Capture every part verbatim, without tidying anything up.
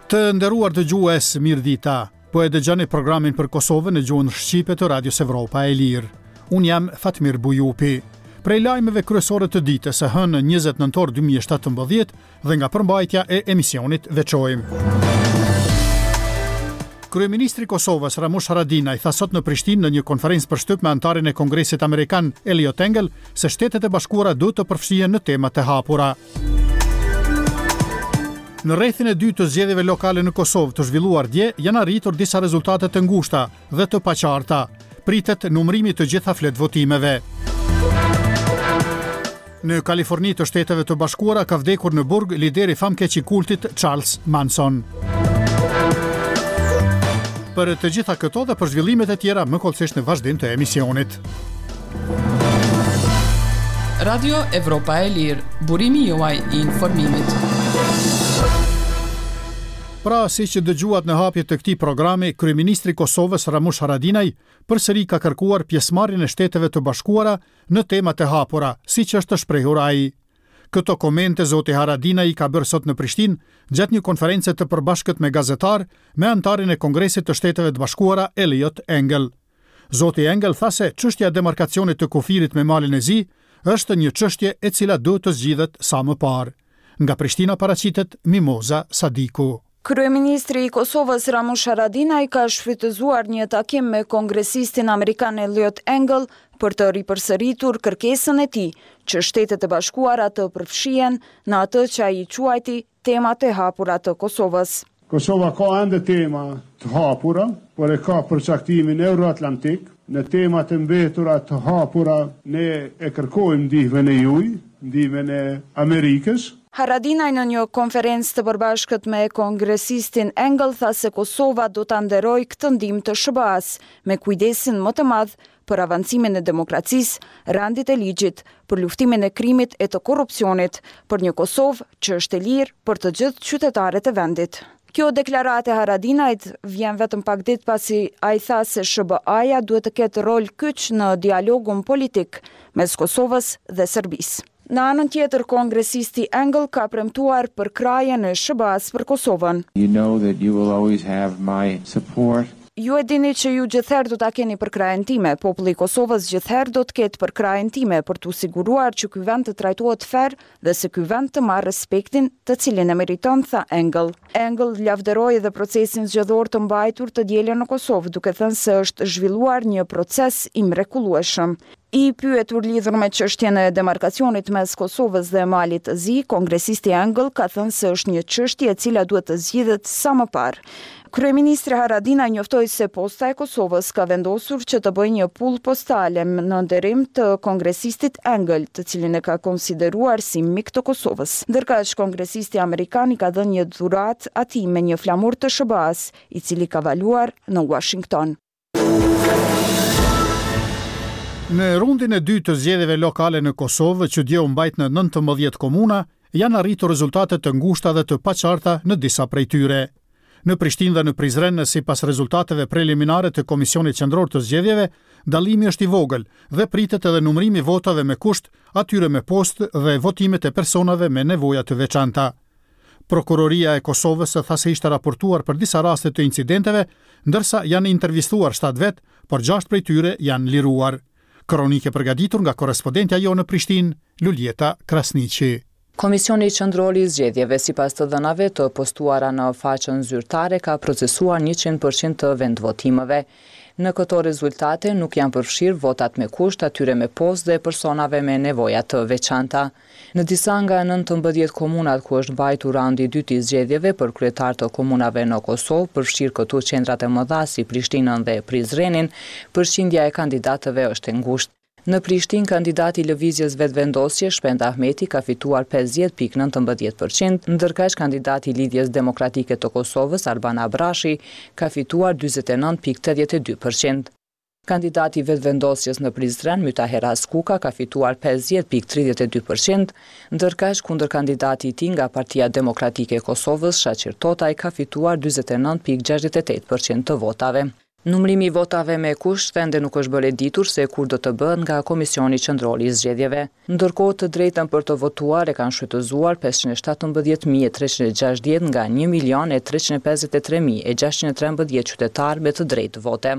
Të nderuar dëgjues, mirëdita. Po e dëgjoni programin për Kosovën në gjuhën shqipe të Radios Evropa e Lirë. Unë jam Fatmir Bujupi. Prej lajmeve kryesore të ditës së hënë njëzet nëntor dy mijë e shtatëmbëdhjetë dhe nga përmbajtja e emisionit veçojmë. Kryeministri i Kosovës Ramush Haradinaj tha sot në Prishtinë në një konferencë për shtyp me anëtarin e Kongresit Amerikan Eliot Engel se Shtetet e Bashkuara duhet të përfshihen në temat e hapura. Në rrethin e dytë të zgjedhjeve lokale në Kosovë të zhvilluar dje janë arritur disa rezultate të ngushta dhe të paqarta. Pritet numërimi të gjitha fletvotimeve. Në Kaliforni të Shteteve të Bashkuara ka vdekur në burg lideri famkeq i kultit Charles Manson. Për të gjitha këto dhe për zhvillimet e tjera më hollësisht në vazhdim të emisionit. Radio Evropa e Lirë, burimi juaj i informimit. Pra, si që dëgjuat në hapje të këtij programi, Kryeministri i Kosovës Ramush Haradinaj përsëri ka kërkuar pjesëmarrjen e Shteteve të Bashkuara në temat e hapura, siç është shprehur ai. Këto komente zoti Haradinaj i ka bërë sot në Prishtinë gjatë një konference të përbashkët me gazetar me anëtarin e Kongresit të Shteteve të Bashkuara Eliot Engel. Zoti Engel tha se çështja e demarkacionit të kufirit me Malin e Zi është një çështje e cila duhet të zgjidhet sa më parë. Nga Prishtina paraqitet Mimoza Sadiku. Kryeministri i Kosovës Ramush Haradinaj ka shfrytëzuar një takim me kongresistin amerikan Eliot Engel për të ripërsëritur kërkesën e tij që Shtetet e Bashkuara të përfshihen në atë që ai quajti temat e hapura të Kosovës. Kosova ka ende tema të hapura, por e ka përcaktimin euroatlantik. Në temat e mbetura të hapura ne e kërkojmë ndihmën e juaj, ndihmën e Amerikës. Haradinaj në një konferencë të përbashkët me kongresistin Engel tha se Kosova do ta nderojë këtë ndihmë të S H B A-s me kujdesin më të madh për avancimin e demokracisë, rendit e ligjit, për luftimin e krimit e të korrupsionit, për një Kosovë që është e lirë për të gjithë qytetarët e vendit. Kjo deklaratë e Haradinajt vjen vetëm pak ditë pasi ai tha se S H B A-ja duhet të ketë rol kyç në dialogun politik mes Kosovës dhe Serbisë. Në anën tjetër, kongresisti Engel ka premtuar përkrahjen e S H B A-s për Kosovën. You know that you will always have my support. Ju e dini që ju gjithherë do ta keni përkrahjen time, populli i Kosovës gjithherë do të ketë përkrahjen time për t'u siguruar që ky vend të trajtohet fer dhe se ky vend të marrë respektin të cilin e meriton, tha Engel. Engel lavdëroi edhe procesin zgjedhor të mbajtur të dielën në Kosovë, duke thënë se është zhvilluar një proces i mrekullueshëm. I pyetur lidhur me çështjen e demarkacionit mes Kosovës dhe Malit të Zi, kongresisti Engel ka thënë se është një çështje e cila duhet të zgjidhet sa më parë. Kryeministri Haradinaj njoftoi se Posta e Kosovës ka vendosur që të bëjë një pull postale në nderim të kongresistit Engel, të cilin e ka konsideruar si mik të Kosovës. Ndërkaq, kongresisti amerikan i ka dhënë një dhuratë atij me një flamur të S H B A-s, i cili ka valuar në Washington. Në rundin e dytë të zgjedhjeve lokale në Kosovë, që dje u mbajt në nëntëmbëdhjetë komuna, janë arritur rezultate të ngushta dhe të paqarta në disa prej tyre. Në Prishtinë dhe në Prizren, sipas rezultateve preliminare të Komisionit Qendror të Zgjedhjeve, dallimi është i vogël dhe pritet edhe numërimi i votave me kusht, atyre me postë dhe votimet e personave me nevoja të veçanta. Prokuroria e Kosovës tha se ishte raportuar për disa raste të incidenteve, ndërsa janë intervistuar shtatë vet, por gjashtë prej tyre janë liruar. Kronike përgatitur nga korrespondentja jonë në Prishtinë, Luljeta Krasniqi. Komisioni Qendror i Zgjedhjeve, sipas të dhënave të postuara në faqen zyrtare, ka procesuar njëqind përqind të vendvotimeve. Në këto rezultate nuk janë përfshirë votat me kusht, atyre me postë dhe personave me nevoja të veçanta. Në disa nga nëntëmbëdhjetë komunat ku është mbajtur raundi i dytë i zgjedhjeve për kryetar të komunave në Kosovë, përfshirë këtu qendrat e mëdha si Prishtinën dhe Prizrenin, përqindja e kandidatëve është e ngushtë. Në Prishtinë, kandidati i Lëvizjes Vetëvendosje, Shpend Ahmeti, ka fituar pesëdhjetë pikë nëntëmbëdhjetë përqind, ndërkaq kandidati i Lidhjes Demokratike të Kosovës, Arban Abrashi, ka fituar dyzet e nëntë pikë tetëdhjetë e dy përqind. Kandidati i Vetëvendosjes në Prizren, Mytaher Haskuka, ka fituar pesëdhjetë pikë tridhjetë e dy përqind, ndërkaq kundër kandidati i tij nga Partia Demokratike e Kosovës, Shaqir Totaj, ka fituar dyzet e nëntë pikë gjashtëdhjetë e tetë përqind të votave. Numërimi i votave me kusht ende nuk është bërë e ditur se kur do të bëhet nga Komisioni Qendror i Zgjedhjeve. Ndërkohë, të drejtën për të votuar e kanë shfrytëzuar pesëqind e shtatëmbëdhjetë mijë e treqind e gjashtëdhjetë nga një milion e treqind e pesëdhjetë e tre mijë e gjashtëqind e trembëdhjetë qytetarë me të drejtë vote.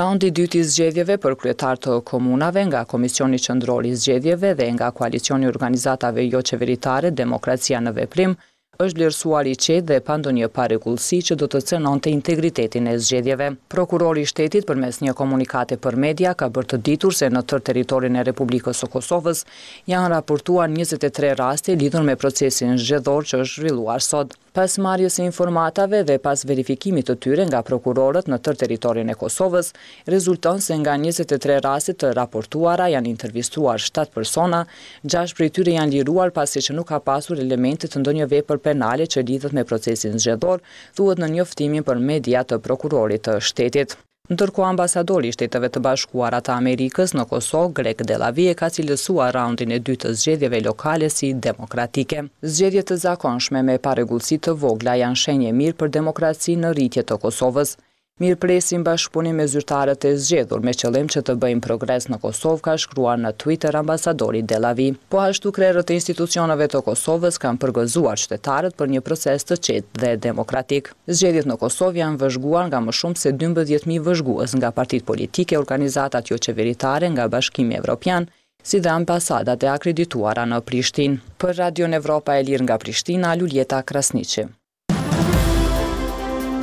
Raundi i dytë i zgjedhjeve për kryetar të komunave nga Komisioni Qendror i Zgjedhjeve dhe nga Koalicioni i Organizatave Joqeveritare Demokracia në Veprim është vlerësuar i qetë dhe pa ndonjë parregullsi që do të cenonte integritetin e zgjedhjeve. Prokurori i Shtetit përmes një komunikate për media ka bërë të ditur se në tërë territorin e Republikës së Kosovës janë raportuar njëzet e tre raste lidhur me procesin zgjedhor që është zhvilluar sot. Pas marrjes së informatave dhe pas verifikimit të tyre nga prokurorët në tërë territorin e Kosovës, rezulton se nga njëzet e tre raste të raportuara janë intervistuar shtatë persona, gjashtë prej tyre janë liruar pasi që nuk ka pasur elemente të ndonjë vepër penale që lidhet me procesin zgjedhor, thuhet në njoftimin për media të prokurorit të shtetit. Ndërkohë, ambasadori i Shteteve të Bashkuara të Amerikës në Kosovë, Greg Delawie, ka cilësuar raundin e dytë të zgjedhjeve lokale si demokratike. Zgjedhje të zakonshme me parregullsi të vogla janë shenjë e mirë për demokracinë në rritje të Kosovës. Mirëpresim bashkëpunim me zyrtarët e zgjedhur me qëllim që të bëjmë progres në Kosovë, ka shkruar në Twitter ambasadori Delawie. Po ashtu krerët e institucioneve të Kosovës kanë përgëzuar qytetarët për një proces të qetë dhe demokratik. Zgjedhjet në Kosovë janë vëzhguar nga më shumë se dymbëdhjetë mijë vëzhgues nga partitë politike, organizatat joqeveritare nga Bashkimi Evropian, si dhe ambasadat e akredituara në Prishtinë. Për Radion Evropa e Lirë nga Prishtina, Luljeta Krasniqi.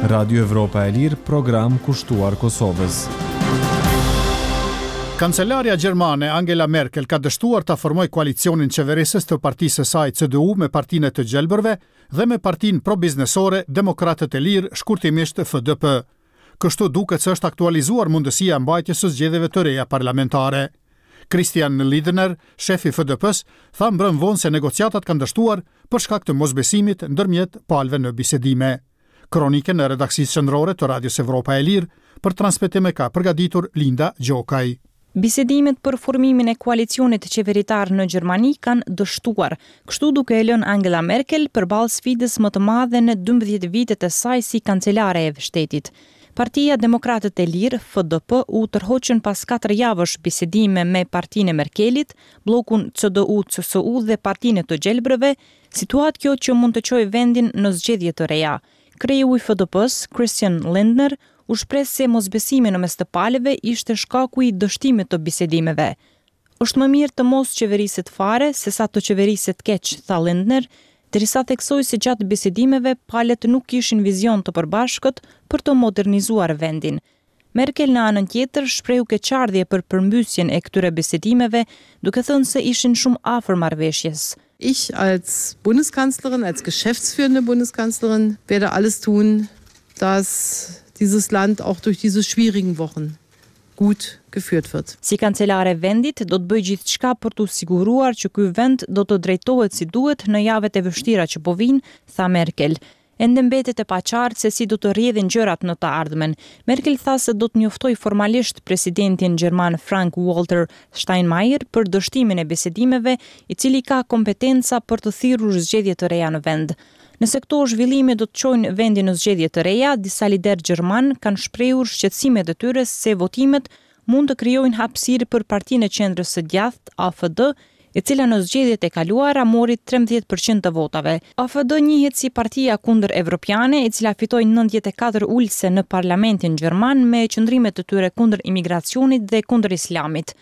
Radio Evropa e Lirë, program kushtuar Kosovës. Kancelarja gjermane Angela Merkel ka dështuar ta formojë koalicionin qeverisës të partisë së saj C D U me Partinë e të Gjelbërve dhe me Partinë pro-biznesore Demokratët e Lirë, shkurtimisht F D P. Kështu duket se është aktualizuar mundësia e mbajtjes së zgjedhjeve të reja parlamentare. Christian Lindner, shefi i F D P-s, tha mbrëm vonë se negociatat kanë dështuar për shkak të mosbesimit ndërmjet palëve në bisedime. Kronikën e redaksisë qendrore të Radios Evropa e Lirë për transmetime ka përgatitur Linda Gjokaj. Bisedimet për formimin e koalicionit qeveritar në Gjermani kanë dështuar, kështu duke e lënë Angela Merkel përballë sfidës më të madhe në dymbëdhjetë vitet e saj si kancelare e shtetit. Partia Demokratët e Lirë, F D P, u tërhoqën pas katër javësh bisedime me Partinë e Merkelit, bllokun C D U C S U dhe Partinë e të Gjelbërve, situatë kjo që mund të çojë vendin në zgjedhje të reja. Kreu i F D P-s, Christian Lindner, u shpreh se mosbesimi në mes të palëve ishte shkaku i dështimit të bisedimeve. Është më mirë të mos qeveriset fare se sa të qeveriset keq, tha Lindner, derisa theksoi se gjatë bisedimeve palët nuk kishin vizion të përbashkët për të modernizuar vendin. Merkel në anën tjetër shprehu keqardhje për përmbysjen e këtyre bisedimeve, duke thënë se ishin shumë afër marrëveshjes. Ich als Bundeskanzlerin, als geschäftsführende Bundeskanzlerin werde alles tun, dass dieses Land auch durch diese schwierigen Wochen gut geführt wird. Si kancelare e vendit do të bëj gjithçka për t'u siguruar që ky vend do të drejtohet si duhet në javët e vështira që po vijnë, tha Merkel. Ende mbetet e paqartë se si do të rrjedhin gjërat në të ardhmen. Merkel tha se do të njoftojë formalisht presidentin gjerman Frank-Walter Steinmeier për dështimin e bisedimeve, i cili ka kompetenca për të thirrur zgjedhje të reja në vend. Nëse këto zhvillime do të çojnë vendin në zgjedhje të reja, disa liderë gjerman kanë shprehur shqetësimet e tyre se votimet mund të krijojnë hapësirë për partinë e qendrës së djathtë A F D, e cila në zgjedhjet e kaluara mori trembëdhjetë përqind të votave. A F D njihet si partia kundër evropiane, e cila fitoi nëntëdhjetë e katër ulëse në parlamentin gjerman me qëndrimet e tyre kundër imigracionit dhe kundër islamit.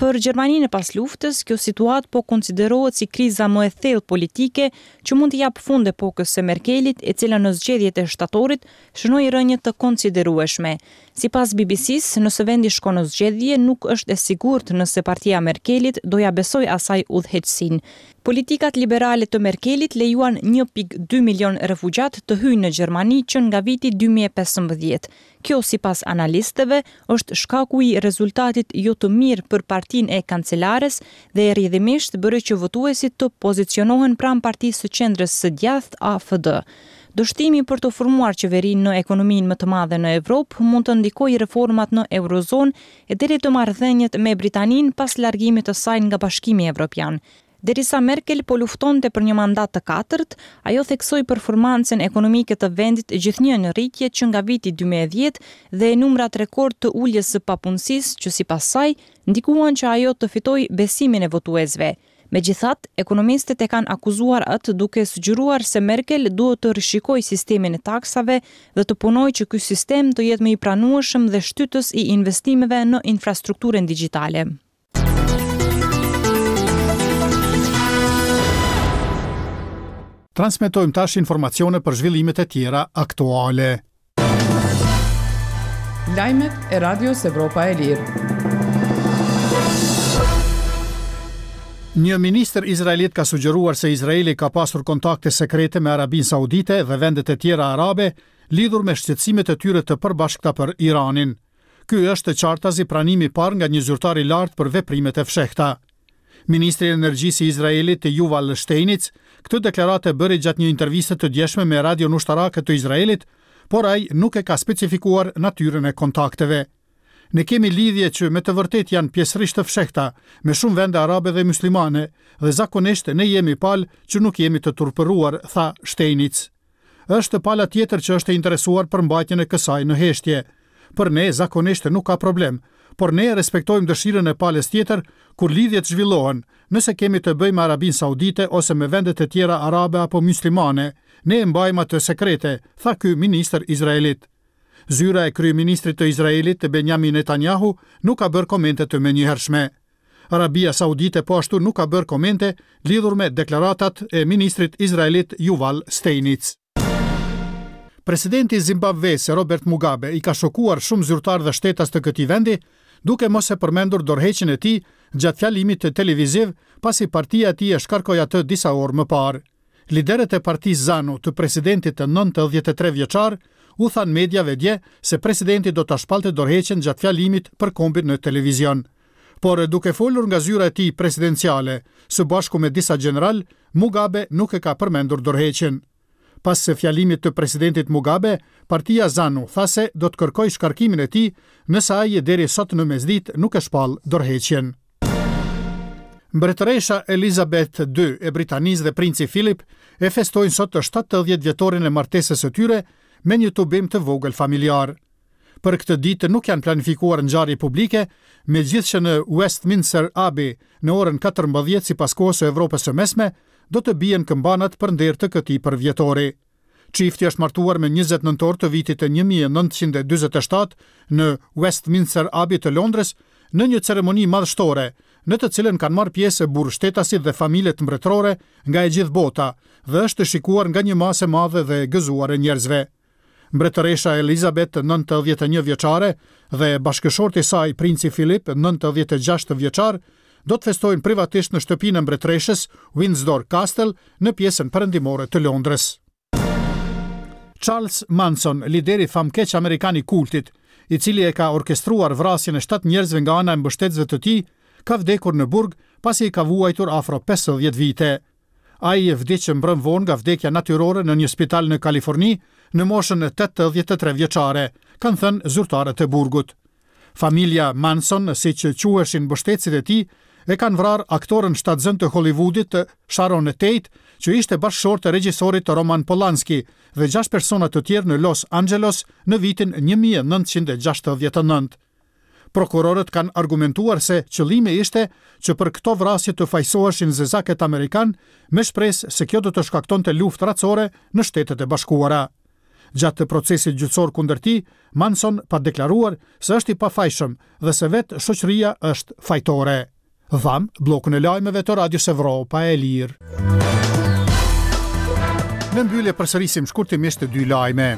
Për Gjermaninë e pas luftës, kjo situatë po konsiderohet si kriza më e thellë politike që mund t'i japë fund epokës së Merkelit, e cila në zgjedhjet e shtatorit shënoi rënje të konsiderueshme. Sipas B B C-s, nëse vendi shkon në zgjedhje, nuk është e sigurt nëse partia e Merkelit do ja besojë asaj udhëheqësinë. Politikat liberale të Merkelit lejuan një pikë dy milion refugjat të hyjnë në Gjermani që nga viti dy mijë e pesëmbëdhjetë. Kjo, sipas analistëve, është shkaku i rezultatit jo të mirë për partinë e kancelares dhe rrjedhimisht bëri që votuesit të pozicionohen pranë partisë së qendrës së djathtë A F D. Dështimi për të formuar qeverinë në ekonominë më të madhe në Evropë mund të ndikojë reformat në eurozonë e deri të marrëdhëniet me Britaninë pas largimit të saj nga Bashkimi Evropian. Derisa Merkel po luftonte për një mandat të katërt, ajo theksoi performancën ekonomike të vendit gjithnjë në rritje që nga viti dy mijë e dhjetë dhe numrat rekord të uljes së papunësisë që sipas saj ndikuan që ajo të fitojë besimin e votuesve. Megjithatë, ekonomistët e kanë akuzuar atë duke sugjeruar se Merkel duhet të rishikojë sistemin e taksave dhe të punojë që ky sistem të jetë më i pranueshëm dhe shtytës i investimeve në infrastrukturën digjitale. Transmetojmë tash informacione për zhvillimet e tjera aktuale. Lajmet e Radios Evropa e Lirë. Një ministër izraelit ka sugjeruar se Izraeli ka pasur kontakte sekrete me Arabinë Saudite dhe vendet e tjera arabe lidhur me shqetësimet e tyre të përbashkëta për Iranin. Ky është qartazi pranimi i parë nga një zyrtar i lartë për veprimet e fshehta. Ministri i Energjisë i Izraelit, Yuval Steinitz, këtë deklaratë e bëri gjatë një interviste të djeshme me radion ushtarake të Izraelit, por ai nuk e ka specifikuar natyrën e kontakteve. Ne kemi lidhje që me të vërtetë janë pjesërisht të fshehta, me shumë vende arabe dhe muslimane, dhe zakonisht ne jemi palë që nuk jemi të turpëruar, tha Steinitz. Është pala tjetër që është e interesuar për mbajtjen e kësaj në heshtje. Për ne zakonisht nuk ka problem, por ne respektojmë dëshirën e palës tjetër kur lidhjet zhvillohen, nëse kemi të bëjmë me Arabinë Saudite ose me vendet e tjera arabe apo muslimane, ne e mbajmë atë sekrete, tha ky ministër izraelit. Zyra e kryeministrit të Izraelit, Benjamin Netanyahu, nuk ka bërë komente të menjëhershme. Arabia Saudite po ashtu nuk ka bërë komente lidhur me deklaratat e ministrit izraelit Yuval Steinitz. Presidenti i Zimbabves, Robert Mugabe, i ka shokuar shumë zyrtarë dhe shtetas të këtij vendi, duke mos e përmendur dorëheqjen e tij gjatë fjalimit televiziv, pasi partia e tij e shkarkoi atë disa orë më parë. Liderët e partisë ZANU të presidentit të nëntëdhjetë e tre vjeçar u thanë mediave dje se presidenti do ta shpallte dorëheqjen gjatë fjalimit për kombin në televizion. Por duke folur nga zyra e tij presidenciale, së bashku me disa gjeneral, Mugabe nuk e ka përmendur dorëheqjen. Pas fjalimit të presidentit Mugabe, partia ZANU tha se do të kërkojë shkarkimin e tij nëse ai deri sot në mesditë nuk e shpall dorëheqjen. Mbretëresha Elizabeth I e Britanisë dhe princi Philip e festojnë sot të shtatëdhjetë vjetorin e martesës së tyre me një tubim të vogël familjar. Për këtë ditë nuk janë planifikuar ngjarje publike, megjithëse në Westminster Abbey në orën katërmbëdhjetë sipas kohës së Evropës së Mesme do të bien këmbanat për nder të këtij përvjetori. Çifti është martuar me njëzet nëntor të vitit një mijë e nëntëqind e dyzet e shtatë në Westminster Abbey të Londrës në një ceremoni madhështore, në të cilën kanë marrë pjesë burrështetasit dhe familjet mbretërore nga e gjithë bota dhe është shikuar nga një masë e madhe dhe e gëzuar e njerëzve. Mbretëresha Elizabeth, nëntëdhjetë e një vjeçare, dhe bashkëshorti i saj, princi Philip, nëntëdhjetë e gjashtë vjeçar, do të festojnë privatisht në shtëpinë e mbretëreshës Windsor Castle në pjesën perëndimore të Londrës. Charles Manson, lideri famkeq amerikan i kultit, i cili e ka orkestruar vrasjen e shtatë njerëzve nga ana e mbështetësve të tij, ka vdekur në burg pasi i ka vuajtur afro pesëdhjetë vite. Ai vdiq mbrëm vonë nga vdekja natyrore në një spital në Kaliforni në moshën e tetëdhjetë e tre vjeçare, kanë thënë zyrtarët e burgut. Familja Manson, siç quheshin mbështetësit e tij, e kanë vrarë aktoren shtatzënë të Hollywoodit Sharon Tate, që ishte bashkëshorte e regjisorit Roman Polanski dhe gjashtë persona të tjerë në Los Angeles në vitin një mijë e nëntëqind e gjashtëdhjetë e nëntë. Prokurorët kanë argumentuar se qëllimi ishte që për këto vrasje të fajsoheshin zezakët amerikan me shpresë se kjo do të shkaktonte luftë racore në Shtetet e Bashkuara. Gjatë procesit gjyqësor kundër tij, Manson pa deklaruar se është i pafajshëm dhe se vetë shoqëria është fajtore. Dham bllokun e lajmeve të Radios Evropa e Lirë. Në mbyllje përsërisim shkurtimisht dy lajme.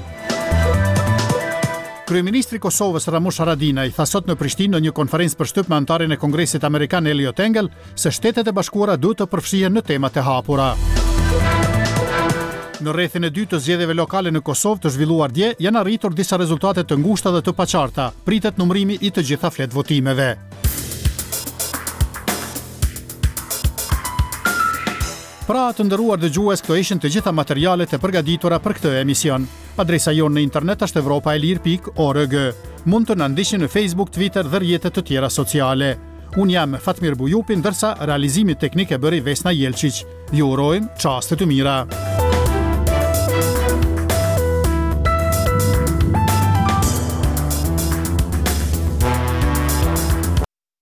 Kryeministri i Kosovës Ramush Haradinaj tha sot në Prishtinë në një konferencë për shtyp me anëtarin e Kongresit Amerikan Eliot Engel se Shtetet e Bashkuara duhet të përfshihen në temat e hapura. Në rrethin e dytë të zgjedhjeve lokale në Kosovë të zhvilluar dje janë arritur disa rezultate të ngushta dhe të paqarta. Pritet numërimi i të gjitha fletvotimeve. Pra, të nderuar dëgjues, këto ishin të gjitha materialet e përgatitura për këtë emision. Adresa jonë në internet është evropa e lirë pikë org. Mund të na ndiqni në Facebook, Twitter dhe rrjete të tjera sociale. Unë jam Fatmir Bujupi, ndërsa realizimin teknik e bëri Vesna Jelqiq. Ju urojmë çaste të mira.